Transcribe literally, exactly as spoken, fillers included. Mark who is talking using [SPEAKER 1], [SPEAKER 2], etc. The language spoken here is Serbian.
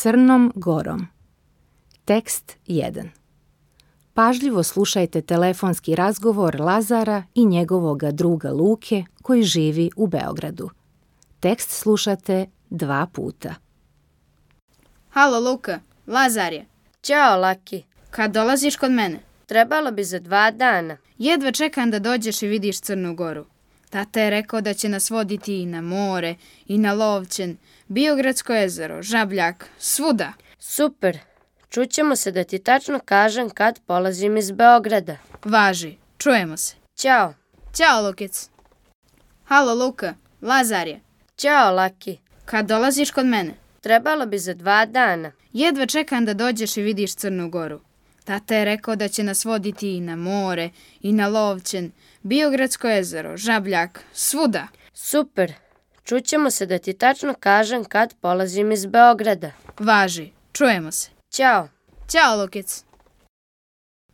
[SPEAKER 1] Crnom Gorom. Tekst jedan. Pažljivo slušajte telefonski razgovor Lazara i njegovoga druga Luke koji živi u Beogradu. Tekst slušate dva puta.
[SPEAKER 2] Halo Luka, Lazar je.
[SPEAKER 3] Ćao Laki.
[SPEAKER 2] Kad dolaziš kod mene?
[SPEAKER 3] Trebalo bi za dva dana.
[SPEAKER 2] Jedva čekam da dođeš i vidiš Crnu Goru. Tata je rekao da će nas voditi i na more, i na Lovćen, Biogradsko jezero, Žabljak, svuda.
[SPEAKER 3] Super. Čućemo se da ti tačno kažem kad polazim iz Beograda.
[SPEAKER 2] Važi, čujemo se.
[SPEAKER 3] Ćao.
[SPEAKER 2] Ćao Lukec. Halo Luka, Lazar je.
[SPEAKER 3] Ćao Laki.
[SPEAKER 2] Kad dolaziš kod mene?
[SPEAKER 3] Trebalo bi za dva dana.
[SPEAKER 2] Jedva čekam da dođeš i vidiš Crnu Goru. Tata je rekao da će nas voditi i na more, i na Lovćen, Biogradsko jezero, Žabljak, svuda.
[SPEAKER 3] Super. Čućemo se da ti tačno kažem kad polazim iz Beograda.
[SPEAKER 2] Važi, čujemo se.
[SPEAKER 3] Ćao.
[SPEAKER 2] Ćao Lukec.